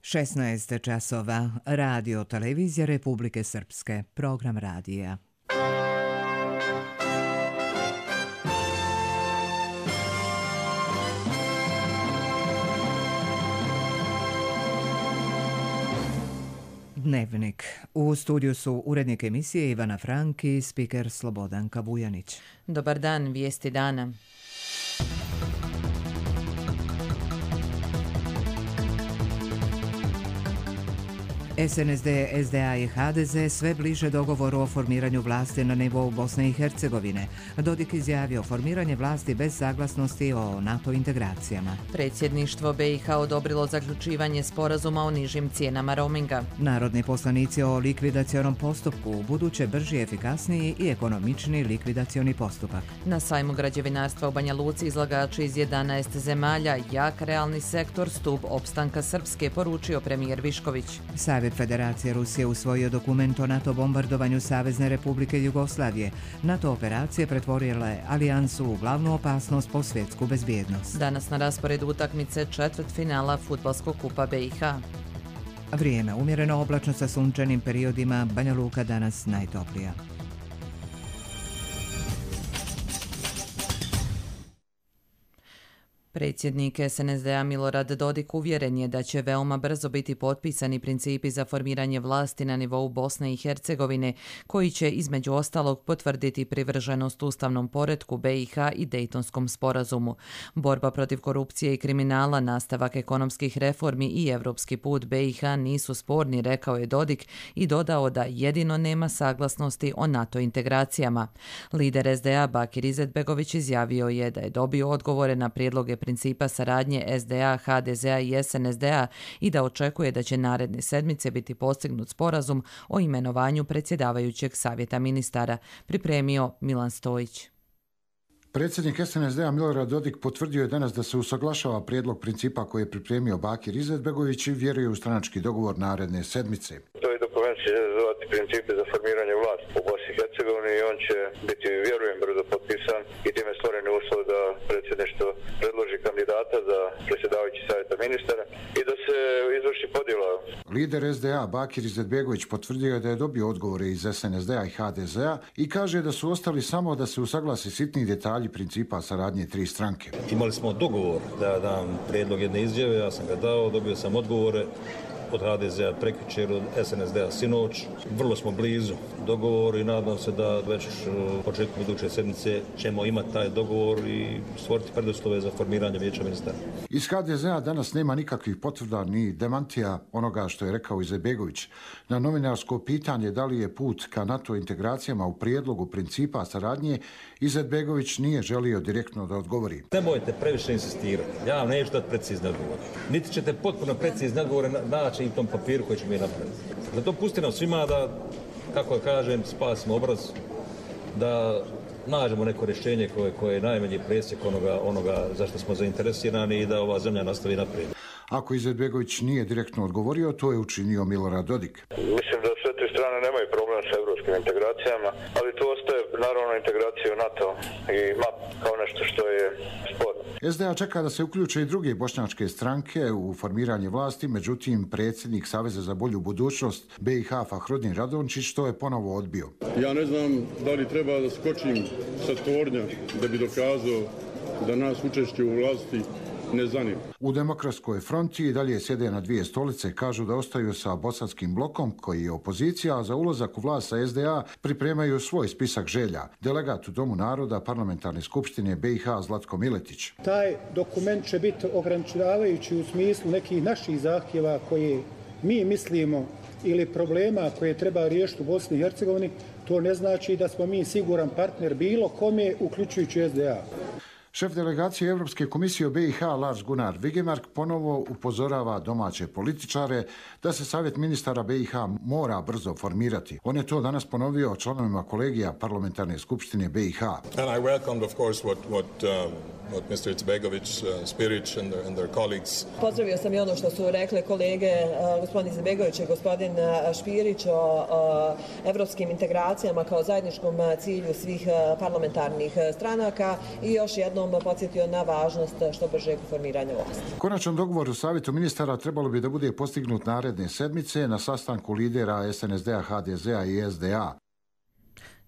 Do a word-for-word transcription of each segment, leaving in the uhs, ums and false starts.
šesnaest časova, radio televizija Republike Srpske, program radija. Dnevnik. U studiju su urednik emisije Ivana Frank i spiker Slobodanka Vujanić. Dobar dan, vijesti dana. S N S D, S D A i H D Z sve bliže dogovoru o formiranju vlasti na nivou Bosne i Hercegovine. Dodik izjavio formiranje vlasti bez saglasnosti o NATO integracijama. Predsjedništvo B i H odobrilo zaključivanje sporazuma o nižim cijenama roaminga. Narodni poslanici o likvidacionom postupku, buduće brži, efikasniji i ekonomičniji likvidacioni postupak. Na sajmu građevinarstva u Banja Luci izlagači iz jedanaest zemalja, jak realni sektor, stup opstanka Srpske, poručio premijer Višković. Savjet Federacije Rusije usvojio dokument o NATO bombardovanju Savezne Republike Jugoslavije. NATO operacije pretvorile alijansu u glavnu opasnost po svjetsku bezbjednost. Danas na rasporedu utakmice četvrtfinala fudbalskog kupa B i H. Vrijeme umjereno, oblačno sa sunčanim periodima, Banja Luka danas najtoplija. Predsjednik S N S D-a Milorad Dodik uvjeren je da će veoma brzo biti potpisani principi za formiranje vlasti na nivou Bosne i Hercegovine, koji će između ostalog potvrditi privrženost ustavnom poretku B i H i Dejtonskom sporazumu. Borba protiv korupcije i kriminala, nastavak ekonomskih reformi i evropski put B i H nisu sporni, rekao je Dodik i dodao da jedino nema saglasnosti o NATO integracijama. Lider S D A Bakir Izetbegović izjavio je da je dobio odgovore na prijedloge principa saradnje S D A, H D Z-a i S N S D-a i da očekuje da će naredne sedmice biti postignut sporazum o imenovanju predsjedavajućeg savjeta ministara, pripremio Milan Stojić. Predsjednik S N S D-a Milorad Dodik potvrdio je danas da se usaglašava prijedlog principa koji je pripremio Bakir Izetbegović i vjeruje u stranački dogovor naredne sedmice. To je dokument će zvati principe za formiranje vlasti u Bosni i Hercegovini i on će biti, vjerujem, brzo potpisan i time stvoreni uslov da predsjedništvo predloži kandidata za predsjedavajući savjeta ministara i da se izvrši podjela. Lider S D A Bakir Izetbegović potvrdio je da je dobio odgovore iz S N S D-a i H D Z-a i kaže da su ostali samo da se usaglasi sitni detalji principa saradnje tri stranke. Imali smo dogovor da dam prijedlog jedne izjave, ja sam ga dao, dobio sam odgovore od H D Z-a prekjučer, od S N S D-a sinoć. Vrlo smo blizu dogovoru i nadam se da već početkom iduće sedmice ćemo imati taj dogovor i stvoriti preduslove za formiranje vijeća ministara. Iz H D Z-a danas nema nikakvih potvrda ni demantija onoga što je rekao Izetbegović. Na novinarsko pitanje da li je put ka NATO integracijama u prijedlogu principa saradnje, Izetbegović nije želio direktno da odgovori. Nemojte previše insistirati. Ja vam neću dati precizne odgovore. Niti ćete potpuno precizne odgovore naći i u tom papiru koji ćemo mi napraviti. Zato pusti nam svima da, kako kažem, spasimo obraz, da nađemo neko rješenje koje, koje je najmanji presjek onoga, onoga za što smo zainteresirani i da ova zemlja nastavi naprijed. Ako Izetbegović nije direktno odgovorio, to je učinio Milorad Dodik. Mislim da sve te strane nemaju problem sa evropskim integracijama, ali tu ostaje naravno integracija u NATO i M A P kao nešto što je sporno. S D A čeka da se uključe i druge bošnjačke stranke u formiranje vlasti, međutim predsjednik Saveza za bolju budućnost B i H Fahrudin Radončić to je ponovo odbio. Ja ne znam da li treba da skočim sa tornja da bi dokazao da nas učešće u vlasti ne zanima. U Demokratskoj fronti i dalje sjede na dvije stolice, kažu da ostaju sa bosanskim blokom koji je opozicija, a za ulazak u vlast sa S D A pripremaju svoj spisak želja. Delegat u Domu naroda Parlamentarne skupštine B i H Zlatko Miletić. Taj dokument će biti ograničavajući u smislu nekih naših zahtjeva koje mi mislimo ili problema koje treba riješiti u Bosni i Hercegovini. To ne znači da smo mi siguran partner bilo kome, uključujući S D A. Šef delegacije Europske komisije u B i H Lars Gunnar Vigemark ponovo upozorava domaće političare da se Savjet ministara B i H mora brzo formirati. On je to danas ponovio članovima kolegija Parlamentarne skupštine B i H. And I welcomed, of course, what, what, um... what mister Izetbegović, uh, Spirić and their, and their colleagues. Pozdravio sam i ono što su rekli kolege uh, gospodin Izetbegović i gospodin uh, Špirić o uh, evropskim integracijama kao zajedničkom uh, cilju svih uh, parlamentarnih uh, stranaka i još jednom jednom podsjetio na važnost što bržeg formiranja vlasti. Konačan dogovor u Savjetu ministara trebalo bi da bude postignut naredne sedmice na sastanku lidera es en es de a, ha de ze a i es de a.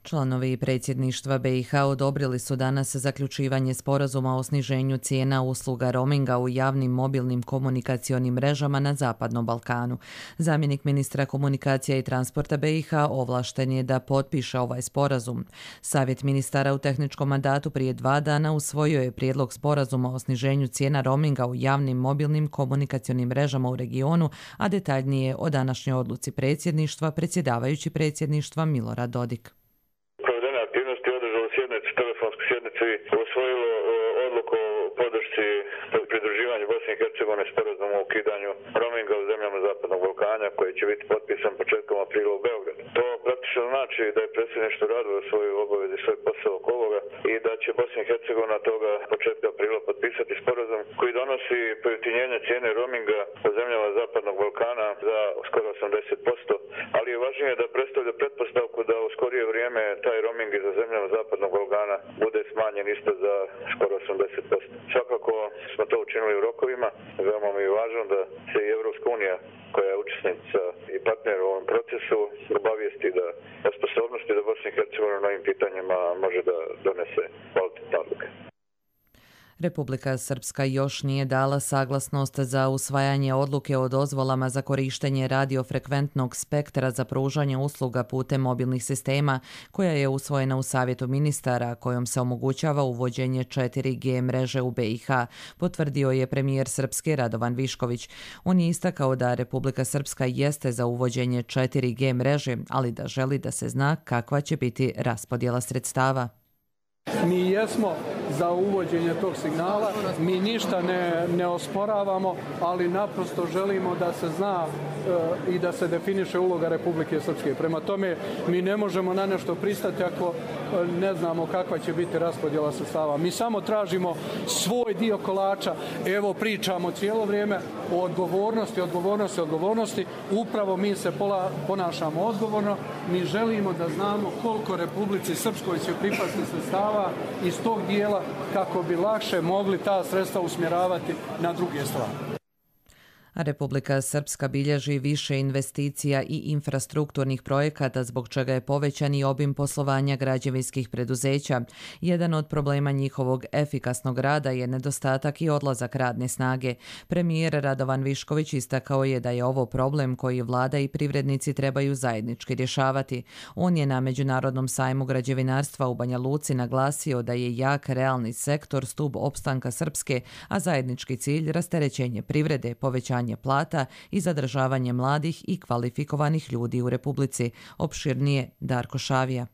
Članovi predsjedništva be i ha odobrili su danas zaključivanje sporazuma o sniženju cijena usluga roaminga u javnim mobilnim komunikacionim mrežama na Zapadnom Balkanu. Zamjenik ministra komunikacija i transporta be i ha ovlašten je da potpiše ovaj sporazum. Savjet ministara u tehničkom mandatu prije dva dana usvojio je prijedlog sporazuma o sniženju cijena roaminga u javnim mobilnim komunikacionim mrežama u regionu, a detaljnije o današnjoj odluci predsjedništva predsjedavajući predsjedništva Milorad Dodik. Usvojilo odluku o podršci pridruživanju Bosne i Hercegovine sporazumu o ukidanju roaminga u zemljama Zapadnog Balkana koji će biti potpisan početkom aprila u Beogradu. To praktično znači da je predsjedništvo radilo svoju obavezu i svoj posao oko ovoga i da će Bosna i Hercegovina toga početka aprila potpisati sporazum koji donosi pojeftinjenje cijene roaminga u zemljama Zapadnog Balkana za skoro osamdeset posto, ali je važnije da predstavlja pretpostavku da u skorije vrijeme taj roaming za zemljama Zapadnog Balkana bude smanjen isto za skoro osamdeset posto. Svakako smo to učinili u rokovima. Veoma mi je važno da se i Evropska unija, koja je učesnica i partner u ovom procesu, obavijesti da o sposobnosti da Bosna i Hercegovina na ovim pitanjima može da donese kvalitetne odluke. Republika Srpska još nije dala saglasnost za usvajanje odluke o dozvolama za korištenje radiofrekventnog spektra za pružanje usluga putem mobilnih sistema, koja je usvojena u Savjetu ministara, kojom se omogućava uvođenje četiri G mreže u be i ha, potvrdio je premijer Srpske Radovan Višković. On je istakao da Republika Srpska jeste za uvođenje četiri G mreže, ali da želi da se zna kakva će biti raspodjela sredstava. Mi jesmo za uvođenje tog signala, mi ništa ne, ne osporavamo, ali naprosto želimo da se zna e, i da se definiše uloga Republike Srpske. Prema tome, mi ne možemo na nešto pristati ako e, ne znamo kakva će biti raspodjela sredstava. Mi samo tražimo svoj dio kolača. Evo, pričamo cijelo vrijeme o odgovornosti, odgovornosti, odgovornosti. Upravo mi se pola, ponašamo odgovorno. Mi želimo da znamo koliko Republici Srpskoj će pripasti sredstava iz tog dijela kako bi lakše mogli ta sredstva usmjeravati na druge stvari. Republika Srpska bilježi više investicija i infrastrukturnih projekata, zbog čega je povećan i obim poslovanja građevinskih preduzeća. Jedan od problema njihovog efikasnog rada je nedostatak i odlazak radne snage. Premijer Radovan Višković istakao je da je ovo problem koji vlada i privrednici trebaju zajednički rješavati. On je na Međunarodnom sajmu građevinarstva u Banja Luci naglasio da je jak realni sektor stub opstanka Srpske, a zajednički cilj rasterećenje privrede, povećanje plata i zadržavanje mladih i kvalifikovanih ljudi u Republici. Opširnije Darko Šavija.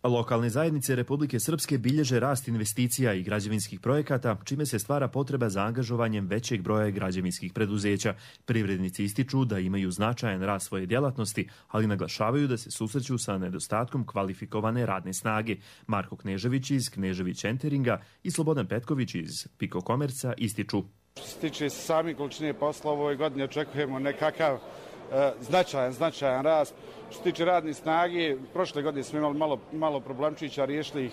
Lokalne zajednice Republike Srpske bilježe rast investicija i građevinskih projekata, čime se stvara potreba za angažovanjem većeg broja građevinskih preduzeća. Privrednici ističu da imaju značajan rast svoje djelatnosti, ali naglašavaju da se susreću sa nedostatkom kvalifikovane radne snage. Marko Knežević iz Knežević Enteringa i Slobodan Petković iz Piko Komerca ističu. Što se tiče sami količine posla, u ovoj godini očekujemo nekakav e, značajan, značajan rast. Što se tiče radne snage, prošle godine smo imali malo, malo problemčića, riješili ih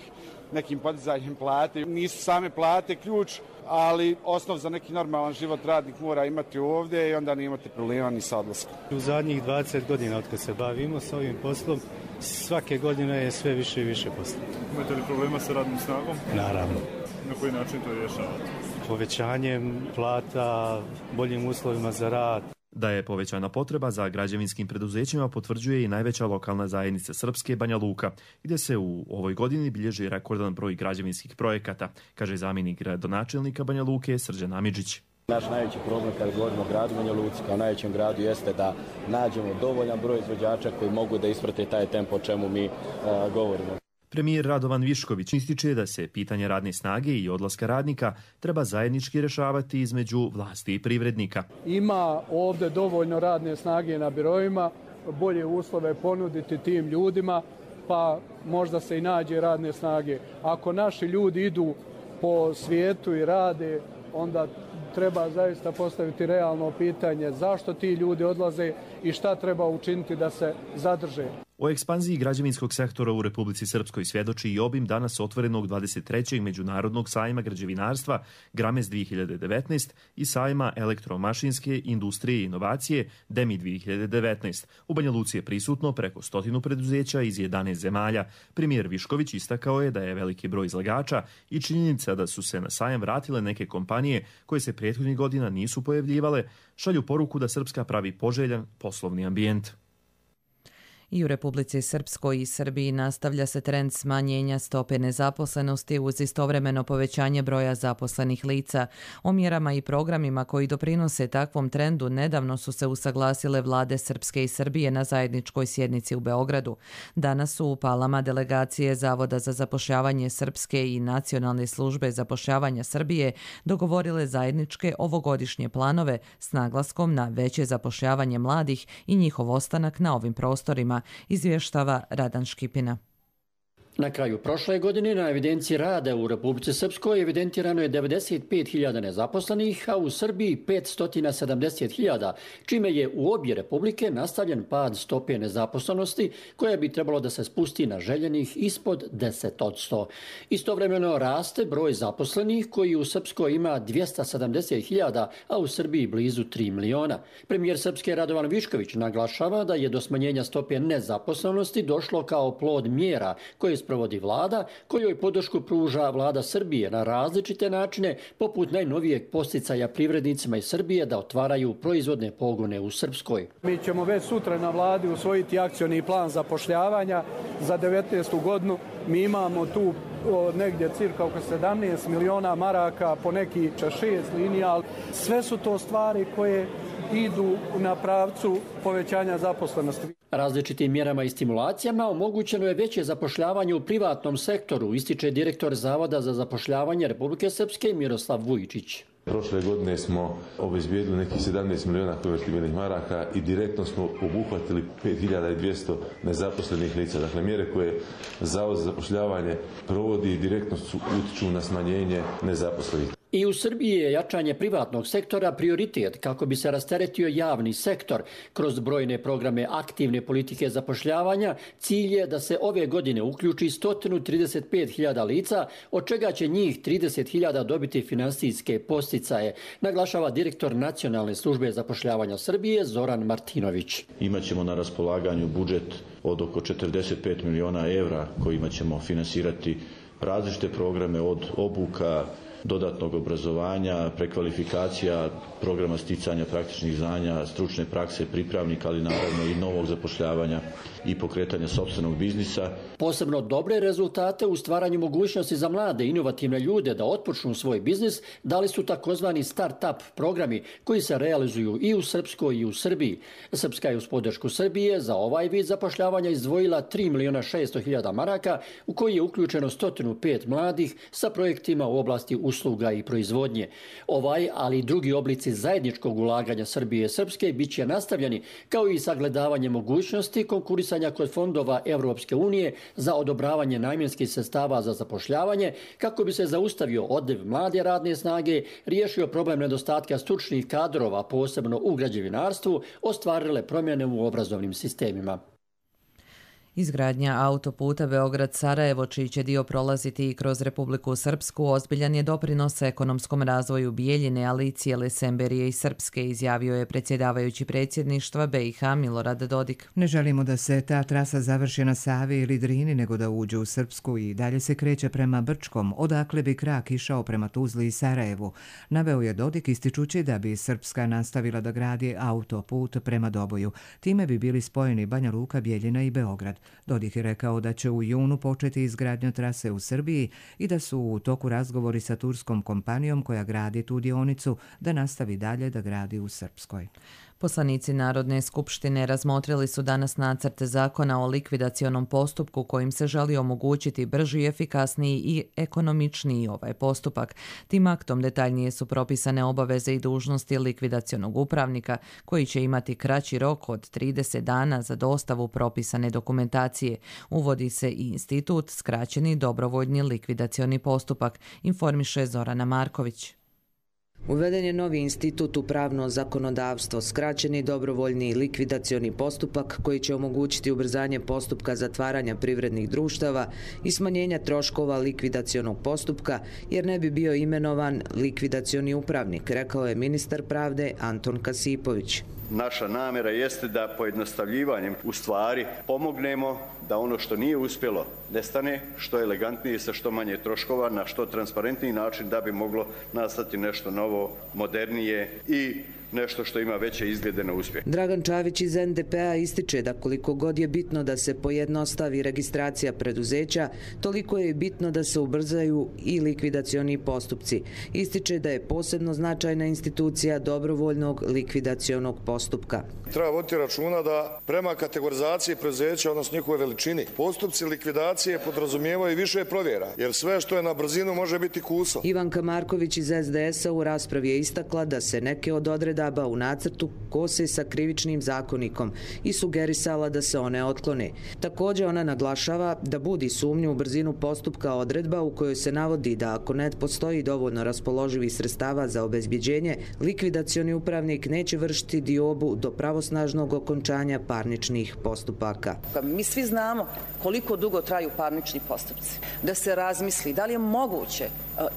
nekim podizanjem plate. Nisu same plate ključ, ali osnov za neki normalan život radnik mora imati ovdje i onda ne imate problema ni sa odlaskom. U zadnjih dvadeset godina od kad se bavimo s ovim poslom, svake godine je sve više i više posla. Imate li problema sa radnom snagom? Naravno. Na koji način to rješavate? Povećanjem plata, boljim uslovima za rad. Da je povećana potreba za građevinskim preduzećima potvrđuje i najveća lokalna zajednica Srpske, Banja Luka, gdje se u ovoj godini bilježi rekordan broj građevinskih projekata, kaže zamjenik gradonačelnika Banja Luke Srđan Amidžić. Naš najveći problem kada govorimo o gradu Banja Luci kao najvećem gradu jeste da nađemo dovoljan broj izvođača koji mogu da isprate taj tempo o čemu mi uh, govorimo. Premijer Radovan Višković ističe da se pitanje radne snage i odlaska radnika treba zajednički rješavati između vlasti i privrednika. Ima ovdje dovoljno radne snage na biroima, bolje uslove ponuditi tim ljudima, pa možda se i nađe radne snage. Ako naši ljudi idu po svijetu i rade, onda treba zaista postaviti realno pitanje zašto ti ljudi odlaze i šta treba učiniti da se zadrže. O ekspanziji građevinskog sektora u Republici Srpskoj svjedoči i obim danas otvorenog dvadeset trećeg Međunarodnog sajma građevinarstva Gramez dvije hiljade devetnaest i sajma elektromašinske industrije i inovacije Demi dvije hiljade devetnaest. U Banja Luci je prisutno preko stotinu preduzeća iz jedanaest zemalja. Premijer Višković istakao je da je veliki broj izlagača i činjenica da su se na sajam vratile neke kompanije koje se prethodnih godina nisu pojavljivale, šalju poruku da Srpska pravi poželjan poslovni ambijent. I u Republici Srpskoj i Srbiji nastavlja se trend smanjenja stope nezaposlenosti uz istovremeno povećanje broja zaposlenih lica. O mjerama i programima koji doprinose takvom trendu nedavno su se usaglasile vlade Srpske i Srbije na zajedničkoj sjednici u Beogradu. Danas su u Palama delegacije Zavoda za zapošljavanje Srpske i Nacionalne službe zapošljavanja Srbije dogovorile zajedničke ovogodišnje planove s naglaskom na veće zapošljavanje mladih i njihov ostanak na ovim prostorima, izvještava Radan Škipina. Na kraju prošle godine na evidenciji rada u Republici Srpskoj evidentirano je devedeset pet hiljada nezaposlenih, a u Srbiji petsto sedamdeset hiljada, čime je u obje republike nastavljen pad stope nezaposlenosti koja bi trebalo da se spusti na željenih ispod deset posto. Istovremeno raste broj zaposlenih koji u Srpskoj ima dvjesto sedamdeset hiljada, a u Srbiji blizu tri miliona. Premijer Srpske Radovan Višković naglašava da je do smanjenja stope nezaposlenosti došlo kao plod mjera koje sprovodi vlada, kojoj podršku pruža vlada Srbije na različite načine, poput najnovijeg podsticaja privrednicima iz Srbije da otvaraju proizvodne pogone u Srpskoj. Mi ćemo već sutra na vladi usvojiti akcioni plan zapošljavanja za devetnaestu godinu. Mi imamo tu o, negdje cirka oko sedamnaest miliona maraka, po neki šest linija. Sve su to stvari koje idu na pravcu povećanja zaposlenosti. Različitim mjerama i stimulacijama omogućeno je veće zapošljavanje u privatnom sektoru, ističe direktor Zavoda za zapošljavanje Republike Srpske Miroslav Vujičić. Prošle godine smo obezbijedili nekih sedamnaest miliona konvertibilnih maraka i direktno smo obuhvatili pet hiljada dvjesto nezaposlenih lica. Dakle, mjere koje Zavod za zapošljavanje provodi direktno su utiču na smanjenje nezaposlenih. I u Srbiji je jačanje privatnog sektora prioritet kako bi se rasteretio javni sektor. Kroz brojne programe aktivne politike zapošljavanja cilj je da se ove godine uključi sto trideset pet hiljada lica, od čega će njih trideset hiljada dobiti finansijske podsticaje, naglašava direktor Nacionalne službe zapošljavanja Srbije Zoran Martinović. Imaćemo na raspolaganju budžet od oko četrdeset pet miliona evra kojima ćemo finansirati različite programe od obuka, dodatnog obrazovanja, prekvalifikacija, programa sticanja praktičnih znanja, stručne prakse pripravnika, ali naravno i novog zapošljavanja i pokretanja sopstvenog biznisa. Posebno dobre rezultate u stvaranju mogućnosti za mlade inovativne ljude da otpočnu svoj biznis dali su takozvani start-up programi koji se realizuju i u Srpskoj i u Srbiji. Srpska je uz podršku Srbije za ovaj vid zapošljavanja izdvojila tri miliona šesto hiljada maraka u koji je uključeno sto pet mladih sa projektima u oblasti usluga i proizvodnje. Ovaj, ali i drugi oblici zajedničkog ulaganja Srbije i Srpske bit će nastavljeni, kao i sagledavanje mogućnosti konkurisanja kod fondova Evropske unije za odobravanje namjenskih sredstava za zapošljavanje, kako bi se zaustavio odliv mlade radne snage, riješio problem nedostatka stručnih kadrova, posebno u građevinarstvu, ostvarile promjene u obrazovnim sistemima. Izgradnja autoputa Beograd-Sarajevo, čiji će dio prolaziti i kroz Republiku Srpsku, ozbiljan je doprinos ekonomskom razvoju Bijeljine, ali i cijele Semberije i Srpske, izjavio je predsjedavajući predsjedništva B i H Milorad Dodik. Ne želimo da se ta trasa završi na Savi ili Drini, nego da uđe u Srpsku i dalje se kreće prema Brčkom, odakle bi krak išao prema Tuzli i Sarajevu. Naveo je Dodik ističući da bi Srpska nastavila da gradi autoput prema Doboju. Time bi bili spojeni Banja Luka, Bijeljina i Beograd. Dodik je rekao da će u junu početi izgradnja trase u Srbiji i da su u toku razgovori sa turskom kompanijom koja gradi tu dionicu da nastavi dalje da gradi u Srpskoj. Poslanici Narodne skupštine razmotrili su danas nacrt zakona o likvidacionom postupku kojim se želi omogućiti brži, efikasniji i ekonomičniji ovaj postupak. Tim aktom detaljnije su propisane obaveze i dužnosti likvidacionog upravnika koji će imati kraći rok od trideset dana za dostavu propisane dokumentacije. Uvodi se i institut skraćeni dobrovoljni likvidacioni postupak, informiše Zorana Marković. Uveden je novi institut u pravno zakonodavstvo, skraćeni dobrovoljni likvidacioni postupak koji će omogućiti ubrzanje postupka zatvaranja privrednih društava i smanjenja troškova likvidacionog postupka, jer ne bi bio imenovan likvidacioni upravnik, rekao je ministar pravde Anton Kasipović. Naša namjera jeste da pojednostavljivanjem u stvari pomognemo da ono što nije uspjelo nestane, što elegantnije sa što manje troškova, na što transparentniji način da bi moglo nastati nešto novo, modernije i nešto što ima veće izglede na uspjeh. Dragan Čavić iz en de pe a ističe da koliko god je bitno da se pojednostavi registracija preduzeća, toliko je i bitno da se ubrzaju i likvidacioni postupci. Ističe da je posebno značajna institucija dobrovoljnog likvidacionog postupka. Treba voditi računa da prema kategorizaciji preduzeća, odnosno njihove veličini, postupci likvidacije podrazumijevaju više provjera, jer sve što je na brzinu može biti kuso. Ivanka Marković iz es de es a u raspravi je istakla da se neke od odredaba u nacrtu kose sa krivičnim zakonikom i sugerisala da se one otklone. Također ona naglašava da budi sumnju u brzinu postupka odredba u kojoj se navodi da ako ne postoji dovoljno raspoloživih sredstava za obezbjeđenje, likvidacioni upravnik neće vršiti diobu do pravosnažnog okončanja parničnih postupaka. Mi svi znamo koliko dugo traju parnični postupci. Da se razmisli da li je moguće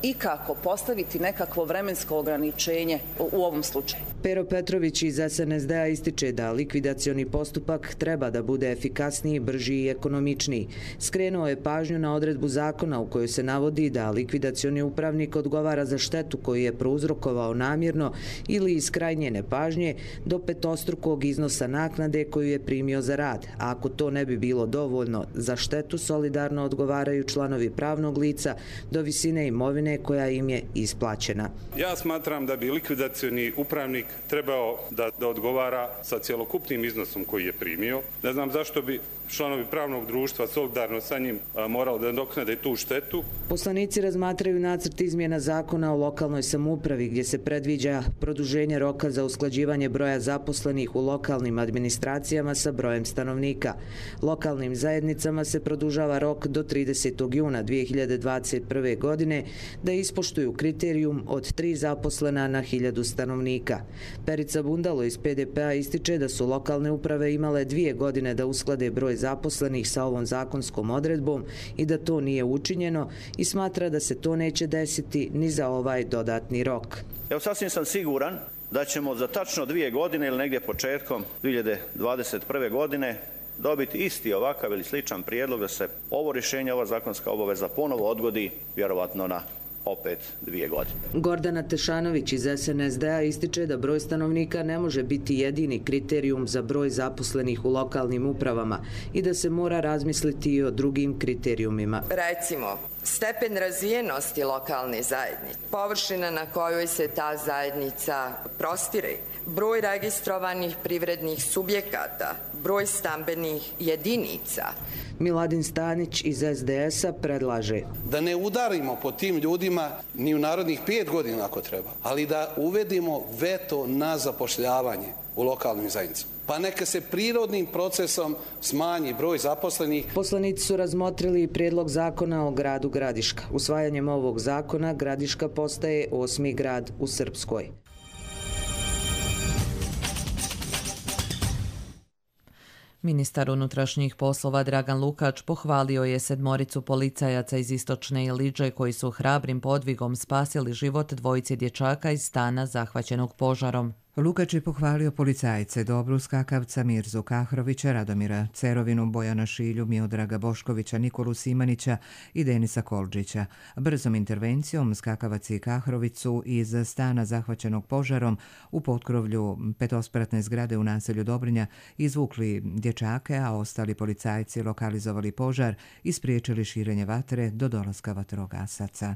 ikako postaviti nekakvo vremensko ograničenje u ovom slučaju. Pero Petrović iz es en es de a ističe da likvidacioni postupak treba da bude efikasniji, brži i ekonomičniji. Skrenuo je pažnju na odredbu zakona u kojoj se navodi da likvidacioni upravnik odgovara za štetu koju je prouzrokovao namjerno ili iz krajnje nepažnje do petostrukog iznosa naknade koju je primio za rad. A ako to ne bi bilo dovoljno, za štetu solidarno odgovaraju članovi pravnog lica do visine imovine koja im je isplaćena. Ja smatram da bi likvidacioni upravnik trebao da, da odgovara sa cjelokupnim iznosom koji je primio. Ne znam zašto bi članovi pravnog društva solidarno sa njim a, morali da nadoknade tu štetu. Poslanici razmatraju nacrt izmjena zakona o lokalnoj samoupravi gdje se predviđa produženje roka za usklađivanje broja zaposlenih u lokalnim administracijama sa brojem stanovnika. Lokalnim zajednicama se produžava rok do tridesetog juna dvije hiljade dvadeset prve. godine da ispoštuju kriterijum od tri zaposlena na hiljadu stanovnika. Perica Bundalo iz pe de pe a ističe da su lokalne uprave imale dvije godine da usklade broj zaposlenih sa ovom zakonskom odredbom i da to nije učinjeno i smatra da se to neće desiti ni za ovaj dodatni rok. Evo sasvim sam siguran da ćemo za tačno dvije godine ili negdje početkom dvije hiljade dvadeset prve. godine dobiti isti ovakav ili sličan prijedlog da se ovo rješenje, ova zakonska obaveza ponovo odgodi vjerovatno na opet dvije godine. Gordana Tešanović iz es en es de a ističe da broj stanovnika ne može biti jedini kriterijum za broj zaposlenih u lokalnim upravama i da se mora razmisliti i o drugim kriterijumima. Recimo, stepen razvijenosti lokalne zajednice, površina na kojoj se ta zajednica prostire, broj registrovanih privrednih subjekata, broj stambenih jedinica. Miladin Stanić iz es de es a predlaže da ne udarimo po tim ljudima ni u narodnih pet godina ako treba, ali da uvedimo veto na zapošljavanje u lokalnim zajednicama. Pa neka se prirodnim procesom smanji broj zaposlenih. Poslanici su razmotrili prijedlog zakona o gradu Gradiška. Usvajanjem ovog zakona Gradiška postaje osmi grad u Srpskoj. Ministar unutrašnjih poslova Dragan Lukač pohvalio je sedmoricu policajaca iz Istočne Iliđe koji su hrabrim podvigom spasili život dvojice dječaka iz stana zahvaćenog požarom. Lukač je pohvalio policajce Dobru Skakavca, Mirzu Kahrovića, Radomira Cerovinu, Bojana Šilju, Miodraga Boškovića, Nikolu Simanića i Denisa Kolđića. Brzom intervencijom Skakavac i Kahrović su iz stana zahvaćenog požarom u potkrovlju petospratne zgrade u naselju Dobrinja izvukli dječake, a ostali policajci lokalizovali požar i spriječili širenje vatre do dolaska vatrogasaca.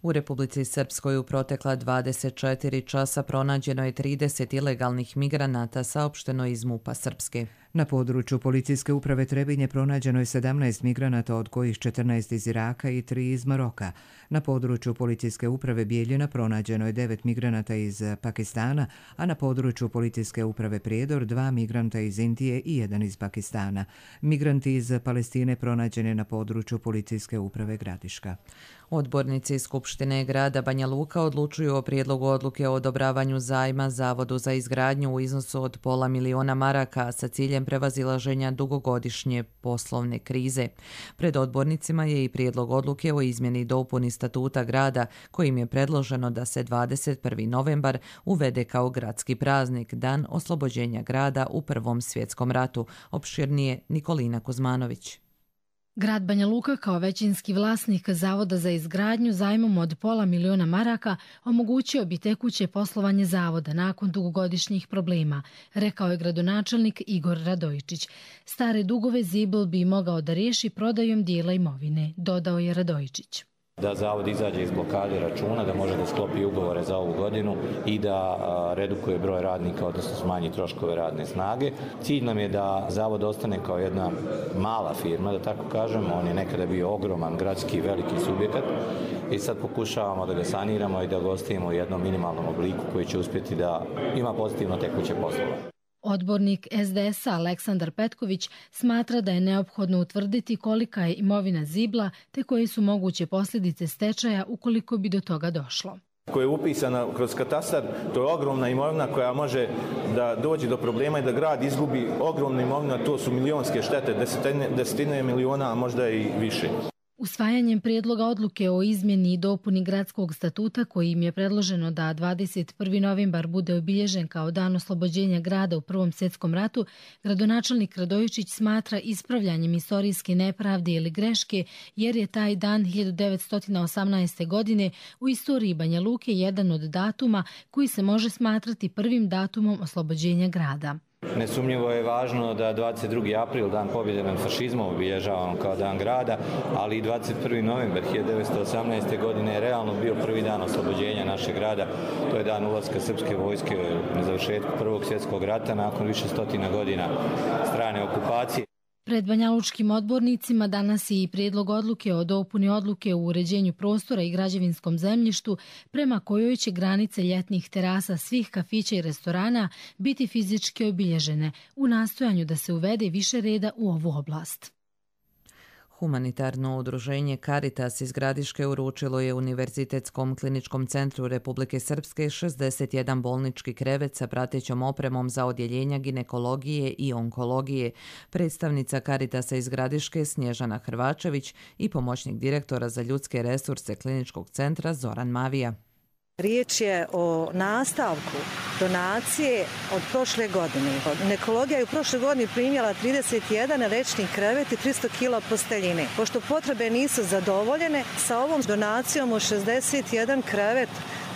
U Republici Srpskoj u protekla dvadeset četiri časa pronađeno je trideset ilegalnih migranata, saopšteno iz MUP-a Srpske. Na području policijske uprave Trebinje pronađeno je sedamnaest migranata, od kojih četrnaest iz Iraka i tri iz Maroka. Na području policijske uprave Bijeljina pronađeno je devet migranata iz Pakistana, a na području policijske uprave Prijedor dva migranta iz Indije i jedan iz Pakistana. Migranti iz Palestine pronađeni na području policijske uprave Gradiška. Odbornici Skupštine grada Banja Luka odlučuju o prijedlogu odluke o odobravanju zajma Zavodu za izgradnju u iznosu od pola miliona maraka sa ciljem prevazilaženja dugogodišnje poslovne krize. Pred odbornicima je i prijedlog odluke o izmjeni i dopuni statuta grada, kojim je predloženo da se dvadeset prvi novembar uvede kao gradski praznik, dan oslobođenja grada u Prvom svjetskom ratu. Opširnije Nikolina Kuzmanović. Grad Banja Luka kao većinski vlasnik Zavoda za izgradnju zajmom od pola miliona maraka omogućio bi tekuće poslovanje zavoda nakon dugogodišnjih problema, rekao je gradonačelnik Igor Radojičić. Stare dugove Zibl bi mogao da riješi prodajom dijela imovine, dodao je Radojičić. Da zavod izađe iz blokade računa, da može da sklopi ugovore za ovu godinu i da redukuje broj radnika, odnosno smanji troškove radne snage. Cilj nam je da zavod ostane kao jedna mala firma, da tako kažem. On je nekada bio ogroman gradski veliki subjekat i sad pokušavamo da ga saniramo i da ga ostavimo u jednom minimalnom obliku koji će uspjeti da ima pozitivno tekuće poslove. Odbornik S D S-a Aleksandar Petković smatra da je neophodno utvrditi kolika je imovina Zibla te koje su moguće posljedice stečaja ukoliko bi do toga došlo. Koja je upisana kroz katastar, to je ogromna imovina koja može da dođe do problema i da grad izgubi ogromnu imovinu, a to su milionske štete, desetine, desetine miliona, a možda i više. Usvajanjem prijedloga odluke o izmjeni i dopuni gradskog statuta, kojim je predloženo da dvadeset prvi novembar bude obilježen kao dan oslobođenja grada u Prvom svjetskom ratu, gradonačelnik Radojičić smatra ispravljanjem istorijske nepravde ili greške, jer je taj dan hiljadu devetsto osamnaeste. godine u istoriji Banja Luke jedan od datuma koji se može smatrati prvim datumom oslobođenja grada. Nesumnjivo je važno da dvadeset drugi april, dan pobjede nad fašizmom, obilježavamo kao dan grada, ali i dvadeset prvi novembar hiljadu devetsto osamnaeste. godine je realno bio prvi dan oslobođenja našeg grada. To je dan ulaska srpske vojske na završetku Prvog svjetskog rata nakon više stotina godina strane okupacije. Pred banjalučkim odbornicima danas je i prijedlog odluke o dopuni odluke o uređenju prostora i građevinskom zemljištu, prema kojoj će granice ljetnih terasa svih kafića i restorana biti fizički obilježene u nastojanju da se uvede više reda u ovu oblast. Humanitarno udruženje Caritas iz Gradiške uručilo je Univerzitetskom kliničkom centru Republike Srpske šezdeset jedan bolnički krevet sa pratećom opremom za odjeljenja ginekologije i onkologije. Predstavnica Caritasa iz Gradiške Snježana Hrvačević i pomoćnik direktora za ljudske resurse kliničkog centra Zoran Mavija. Riječ je o nastavku donacije od prošle godine. Ginekologija je u prošle godini primjela trideset jedan rečni krevet i tristo kila posteljine. Pošto potrebe nisu zadovoljene, sa ovom donacijom od šezdeset jedan krevet,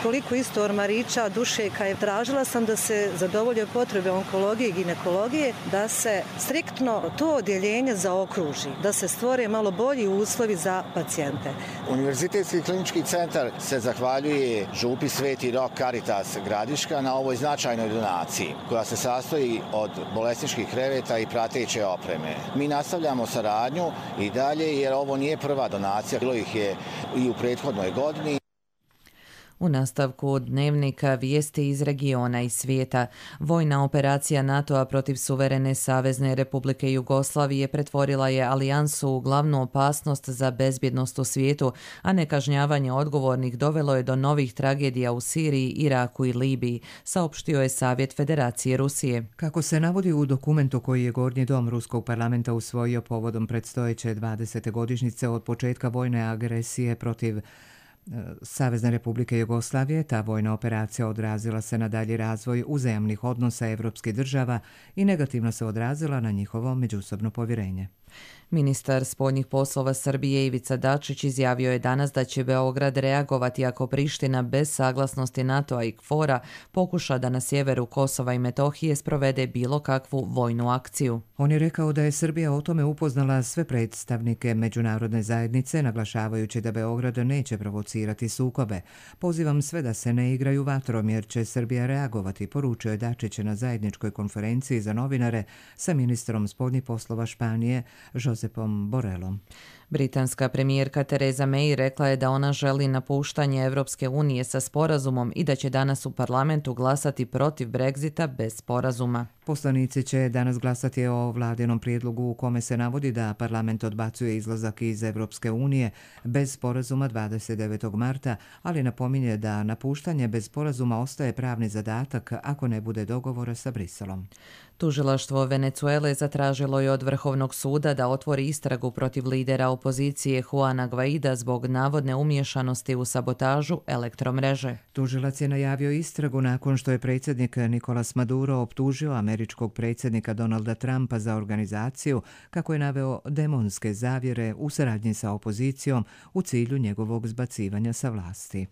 koliko isto ormarića, dušeka je, tražila sam da se zadovolje potrebe onkologije i ginekologije, da se striktno to odjeljenje zaokruži, da se stvore malo bolji uslovi za pacijente. Univerzitetski klinički centar se zahvaljuje župi Sveti Rok Caritas Gradiška na ovoj značajnoj donaciji, koja se sastoji od bolesničkih kreveta i prateće opreme. Mi nastavljamo saradnju i dalje, jer ovo nije prva donacija, bilo ih je i u prethodnoj godini. U nastavku dnevnika vijesti iz regiona i svijeta. Vojna operacija NATO-a protiv suverene Savezne Republike Jugoslavije pretvorila je alijansu u glavnu opasnost za bezbjednost u svijetu, a nekažnjavanje odgovornih dovelo je do novih tragedija u Siriji, Iraku i Libiji, saopštio je Savjet Federacije Rusije. Kako se navodi u dokumentu koji je Gornji dom Ruskog parlamenta usvojio povodom predstojeće dvadesete godišnjice od početka vojne agresije protiv Savezne Republike Jugoslavije, ta vojna operacija odrazila se na dalji razvoj uzajamnih odnosa evropskih država i negativno se odrazila na njihovo međusobno povjerenje. Ministar spoljnih poslova Srbije Ivica Dačić izjavio je danas da će Beograd reagovati ako Priština bez saglasnosti NATO-a i KFOR-a pokuša da na sjeveru Kosova i Metohije sprovede bilo kakvu vojnu akciju. On je rekao da je Srbija o tome upoznala sve predstavnike međunarodne zajednice, naglašavajući da Beograd neće provocirati sukobe. Pozivam sve da se ne igraju vatrom jer će Srbija reagovati, poručio je Dačić na zajedničkoj konferenciji za novinare sa ministrom spoljnih poslova Španije Josepom Borelom. Britanska premijerka Theresa May rekla je da ona želi napuštanje Evropske unije sa sporazumom i da će danas u parlamentu glasati protiv Brexita bez sporazuma. Poslanici će danas glasati o vladinom prijedlogu u kome se navodi da parlament odbacuje izlazak iz Evropske unije bez sporazuma dvadeset devetog marta, ali napominje da napuštanje bez sporazuma ostaje pravni zadatak ako ne bude dogovora sa Briselom. Tužilaštvo Venecuele zatražilo je od Vrhovnog suda da otvori istragu protiv lidera opozicije Juana Guaida zbog navodne umiješanosti u sabotažu elektromreže. Tužilac je najavio istragu nakon što je predsjednik Nicolas Maduro optužio američkog predsjednika Donalda Trumpa za organizaciju, kako je naveo, demonske zavjere u saradnji sa opozicijom u cilju njegovog zbacivanja sa vlasti.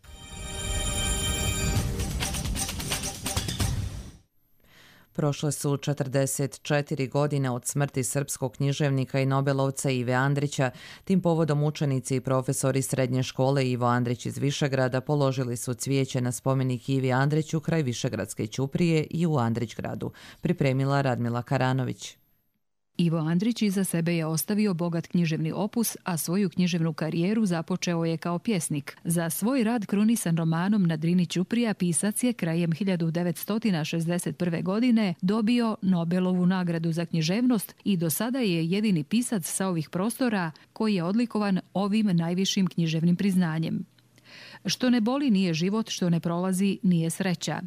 Prošle su četrdeset četiri godine od smrti srpskog književnika i nobelovca Ive Andrića. Tim povodom učenici i profesori srednje škole Ivo Andrić iz Višegrada položili su cvijeće na spomenik Ivi Andriću kraj Višegradske ćuprije i u Andrićgradu. Pripremila Radmila Karanović. Ivo Andrić iza sebe je ostavio bogat književni opus, a svoju književnu karijeru započeo je kao pjesnik. Za svoj rad krunisan romanom Na Drini ćuprija pisac je krajem hiljadu devetsto šezdeset prve. godine dobio Nobelovu nagradu za književnost i do sada je jedini pisac sa ovih prostora koji je odlikovan ovim najvišim književnim priznanjem. Što ne boli nije život, što ne prolazi nije sreća.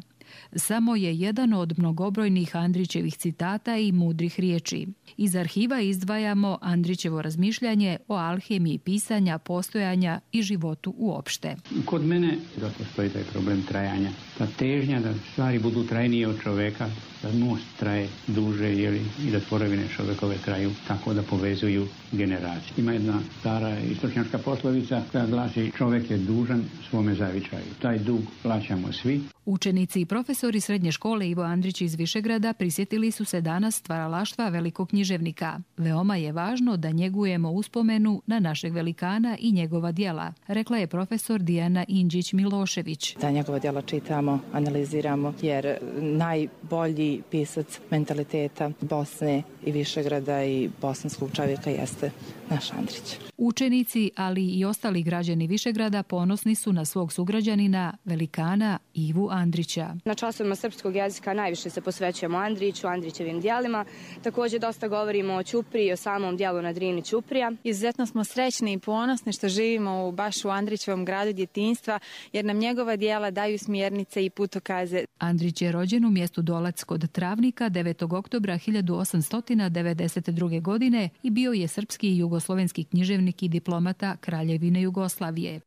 Samo je jedan od mnogobrojnih Andrićevih citata i mudrih riječi. Iz arhiva izdvajamo Andrićevo razmišljanje o alhemiji pisanja, postojanja i životu uopšte. Kod mene da postoji taj problem trajanja. Ta težnja da stvari budu trajnije od čoveka, da most traje duže jeli, i da tvorevine čovekove traju tako da povezuju generacije. Ima jedna stara istočnjačka poslovica koja glasi: čovek je dužan svome zavičaju. Taj dug plaćamo svi. Učenici i profesori srednje škole Ivo Andrić iz Višegrada prisjetili su se danas stvaralaštva velikog književnika. Veoma je važno da njegujemo uspomenu na našeg velikana i njegova djela, rekla je profesor Dijana Indžić-Milošević. Da njegova djela čitamo, analiziramo, jer najbolji pisac mentaliteta Bosne i Višegrada i bosanskog čovjeka jeste naš Andrić. Učenici, ali i ostali građani Višegrada ponosni su na svog sugrađanina, velikana Ivu Andrića. Na časovima srpskog jezika najviše se posvećujemo Andriću, Andrićevim djelima. Također dosta govorimo o ćupriji i o samom djelu Na Drini ćuprija. Izuzetno smo srećni i ponosni što živimo u baš u Andrićevom gradu djetinjstva, jer nam njegova djela daju smjernice i putokaze. Andrić je rođen u mjestu Dolac kod Travnika devetog oktobra hiljadu osamsto devedeset druge. godine i bio je srpski i jugoslovenski književnik i diplomata Kraljevine Jugoslavije.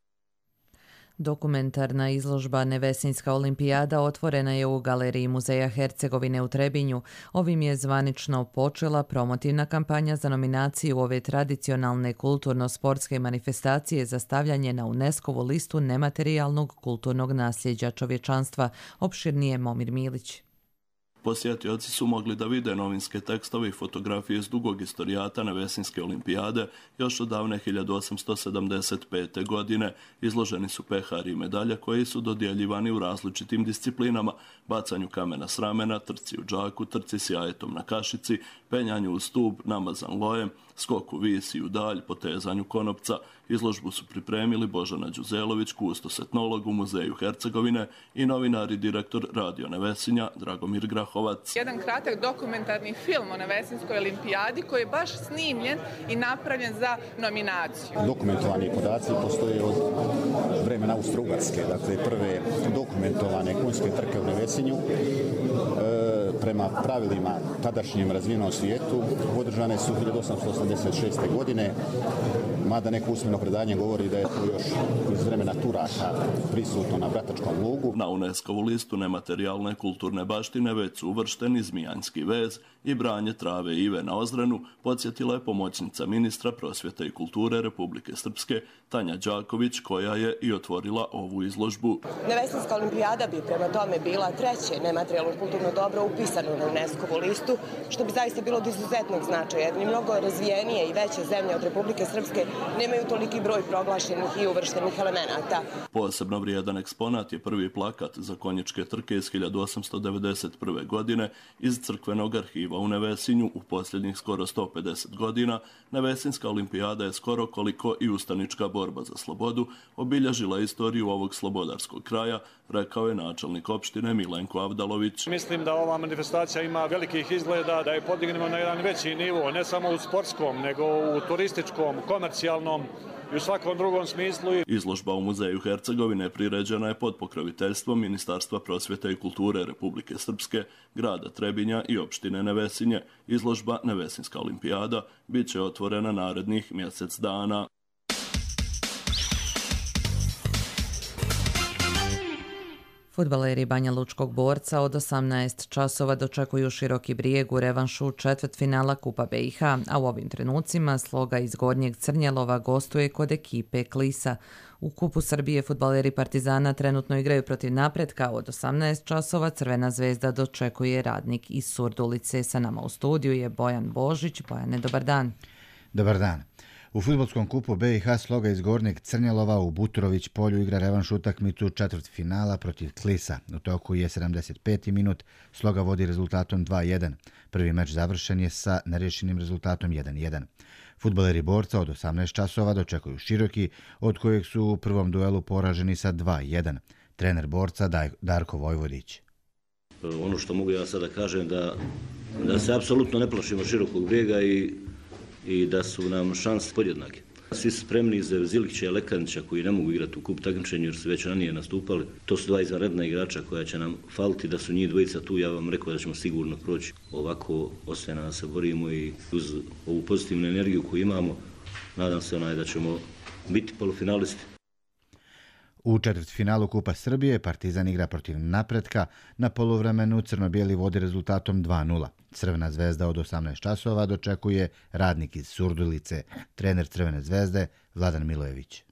Dokumentarna izložba Nevesinjska olimpijada otvorena je u Galeriji Muzeja Hercegovine u Trebinju. Ovim je zvanično počela promotivna kampanja za nominaciju ove tradicionalne kulturno-sportske manifestacije za stavljanje na UNESCO-vu listu nematerijalnog kulturnog nasljeđa čovječanstva, opširnije Momir Milić. Posjetioci su mogli da vide novinske tekstove i fotografije iz dugog istorijata Nevesinjske olimpijade još od davne hiljadu osamsto sedamdeset pete. godine. Izloženi su pehari i medalje koji su dodjeljivani u različitim disciplinama: bacanju kamena s ramena, trci u džaku, trci s jajetom na kašici, penjanju u stup, namazan lojem, skoku visi u dalj, potezanju konopca. Izložbu su pripremili Božana Đuzelović, kustos etnolog u Muzeju Hercegovine, i novinar i direktor Radio Nevesinja Dragomir Grahovac. Jedan kratak dokumentarni film o Nevesinjskoj olimpijadi koji je baš snimljen i napravljen za nominaciju. Dokumentovani podaci postoje od vremena Austro-Ugarske, dakle prve dokumentovane konjske trke u Nevesinju. E, prema pravilima tadašnjem razvijenom svijetu održane su hiljadu osamsto osamdeset šeste. godine, mada neko usmeno predanje govori da je to još iz vremena Turaka prisutno na Bratačkom lugu. Na UNESCO-vu listu nematerijalne kulturne baštine već su uvršteni Zmijanski vez i branje trave Ive na Ozrenu, podsjetila je pomoćnica ministra prosvjete i kulture Republike Srpske Tanja Đaković, koja je i otvorila ovu izložbu. Nevesinska olimpijada bi prema tome bila treće nematerijalno kulturno dobro upisano na UNESCO-vu listu, što bi zaista bilo od izuzetnog značaja, jer ni mnogo razvijenije i veće zemlje od Republike Srpske nemaju toliki broj proglašenih i uvrštenih elemenata. Posebno vrijedan eksponat je prvi plakat za konjičke trke iz hiljadu osamsto devedeset prve. godine iz crkvenog arhiva u Nevesinju. U posljednjih skoro sto pedeset godina Nevesinska olimpijada je skoro koliko i ustanička borba za slobodu obilježila istoriju ovog slobodarskog kraja, rekao je načelnik opštine Milenko Avdalović. Mislim da ova manifestacija ima velikih izgleda, da je podignemo na jedan veći nivo, ne samo u sportskom, nego u turističkom, komercijalnom i u svakom drugom smislu. Izložba u Muzeju Hercegovine priređena je pod pokroviteljstvom Ministarstva prosvjete i kulture Republike Srpske, grada Trebinja i opštine Nevesinje. Izložba Nevesinska olimpijada bit će otvorena narednih mjesec dana. Fudbaleri Banja Lučkog Borca od osamnaest časova dočekuju Široki Brijeg u revanšu četvrtfinala Kupa B i H, a u ovim trenucima Sloga iz Gornjeg Crnjelova gostuje kod ekipe Klisa. U Kupu Srbije fudbaleri Partizana trenutno igraju protiv Napretka. Od osamnaest časova Crvena zvezda dočekuje Radnik iz Surdulice. Sa nama u studiju je Bojan Božić. Bojane, dobar dan. Dobar dan. U fudbalskom kupu B i H Sloga iz Gornjeg Crnjelova u Butrović polju igra revanš utakmicu četvrtfinala protiv Klisa. U toku je sedamdeset peti minut, Sloga vodi rezultatom dva jedan. Prvi meč završen je sa nerješenim rezultatom jedan jedan. Fudbaleri Borca od osamnaest časova dočekuju Široki, od kojeg su u prvom duelu poraženi sa dva jedan. Trener Borca Darko Vojvodić. Ono što mogu ja sada kažem da, da se apsolutno ne plašimo Širokog Brijega i i da su nam šanse podjednake. Svi su spremni za Zilića i Lekanića koji ne mogu igrati u kup takmičenju jer su već ranije nastupali. To su dva izvanredna igrača koja će nam faliti, da su njih dvojica tu. Ja vam rekao da ćemo sigurno proći. Ovako ostaje da se borimo i uz ovu pozitivnu energiju koju imamo, nadam se onaj da ćemo biti polufinalisti. U četvrtfinalu Kupa Srbije Partizan igra protiv Napretka. Na poluvremenu crno-bijeli vodi rezultatom dva nula. Crvena zvezda od osamnaest časova dočekuje Radnik iz Surdulice. Trener Crvene zvezde Vladan Milojević.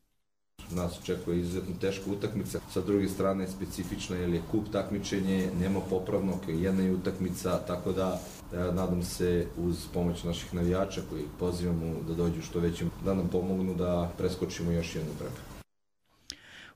Nas očekuje izuzetno teška utakmica. Sa druge strane specifično jer je kup takmičenje, nema popravnog, jedna je utakmica, tako da nadam se uz pomoć naših navijača koji pozivamo da dođu što većim, da nam pomognu da preskočimo još jednu prepreku.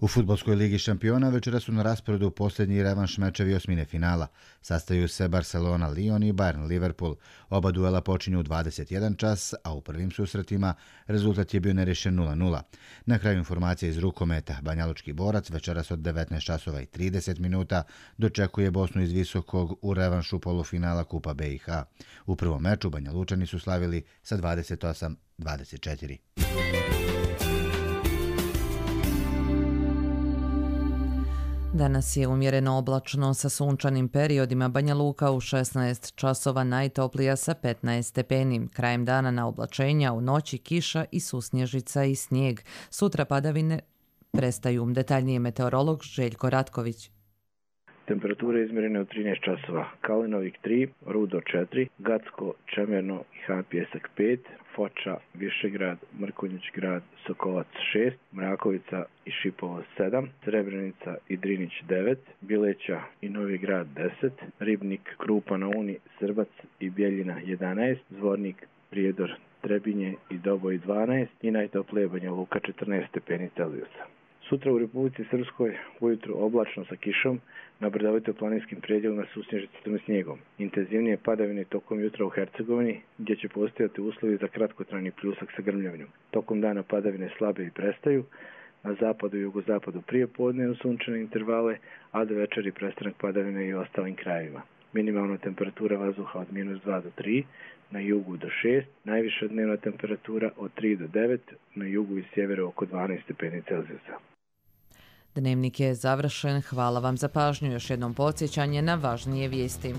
U fudbalskoj ligi šampiona večera su na rasporedu posljednji revanš mečevi osmine finala. Sastaju se Barcelona, Lyon i Bayern Liverpool. Oba duela počinju u dvadeset jedan čas, a u prvim susretima rezultat je bio nerješen nula nula. Na kraju informacije iz rukometa, Banjalučki Borac večeras od devetnaest časova i trideset minuta dočekuje Bosnu iz Visokog u revanšu polufinala Kupa B i H. U prvom meču Banjalučani su slavili sa dvadeset osam dvadeset četiri. Danas je umjereno oblačno sa sunčanim periodima. Banja Luka u šesnaest časova najtoplija sa petnaest stepeni. Krajem dana na oblačenja, u noći kiša i susnježica i snijeg. Sutra padavine prestaju. Detaljnije meteorolog Željko Ratković. Temperature izmjerene u trinaest časova. Kalinovik tri, Rudo četiri, Gacko, Čemerno i Han Pjesak pet, Foča, Višegrad, Mrkonjić grad, Sokolac šest, Mrakovica i Šipovo sedam, Srebrenica i Drinić devet, Bileća i Novi grad deset, Ribnik, Krupa na Uni, Srbac i Bjeljina jedanaest, Zvornik, Prijedor, Trebinje i Doboj dvanaest i najtoplije Banja Luka četrnaest stepeni Celzijusa. Sutra u Republici Srpskoj ujutru oblačno sa kišom, na brdovito-planinskim predjelima susnježicom i snijegom. Intenzivnije padavine tokom jutra u Hercegovini, gdje će postojati uslovi za kratkotrajni pljusak sa grmljavnjom. Tokom dana padavine slabe i prestaju, na zapadu i jugozapadu prije podne u sunčane intervale, a do večeri prestanak padavine i u ostalim krajevima. Minimalna temperatura vazduha od minus dva do tri, na jugu do šest, najviša dnevna temperatura od tri do devet, na jugu i sjeveru oko dvanaest stepeni Celzijusa. Dnevnik je završen. Hvala vam za pažnju. Još jednom podsjećanje na važnije vijesti.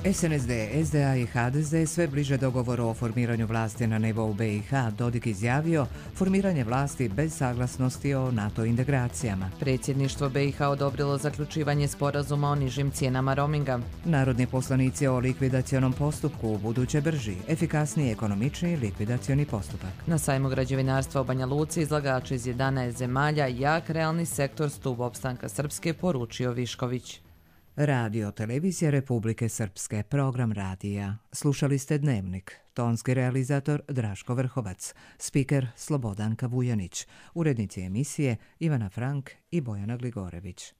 S N S D, S D A i H D Z sve bliže dogovoru o formiranju vlasti na nivou B i H. Dodik izjavio formiranje vlasti bez saglasnosti o NATO integracijama. Predsjedništvo B i H odobrilo zaključivanje sporazuma o nižim cijenama roaminga. Narodni poslanici o likvidacionom postupku u buduće brži, efikasniji, ekonomičniji likvidacioni postupak. Na sajmu građevinarstva u Banja Luci izlagači iz jedanaest zemalja jak realni sektor stup opstanka Srpske, poručio Višković. Radio Televizija Republike Srpske, program radija. Slušali ste Dnevnik. Tonski realizator Draško Vrhovac, spiker Slobodanka Vujanić, urednici emisije Ivana Frank i Bojana Gligorević.